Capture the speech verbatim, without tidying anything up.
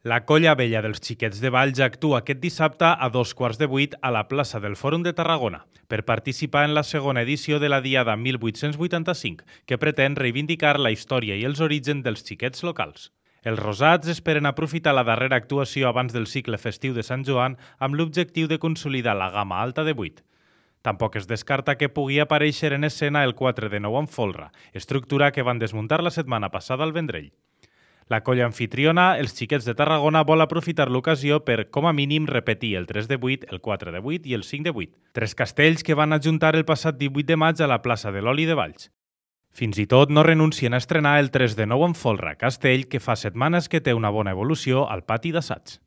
La Colla Vella dels Xiquets de Valls actua aquest dissabte a dos quarts de vuit a la plaça del Fòrum de Tarragona per participar en la segona edició de la Diada mil vuit-cents vuitanta-cinc, que pretén reivindicar la història i els orígens dels xiquets locals. Els rosats esperen aprofitar la darrera actuació abans del cicle festiu de Sant Joan amb l'objectiu de consolidar la gamma alta de vuit. Tampoc es descarta que pugui aparèixer en escena el quatre de nou amb folre, estructura que van desmuntar la setmana passada al Vendrell. La colla anfitriona, els Xiquets de Tarragona, vol aprofitar l'ocasió per, com a mínim, repetir el tres de vuit, el quatre de vuit i el cinc de vuit. Tres castells que van ajuntar el passat divuit de maig a la plaça de l'Oli de Valls. Fins i tot no renuncien a estrenar el tres de nou amb folre, castell que fa setmanes que té una bona evolució al pati d'assaig.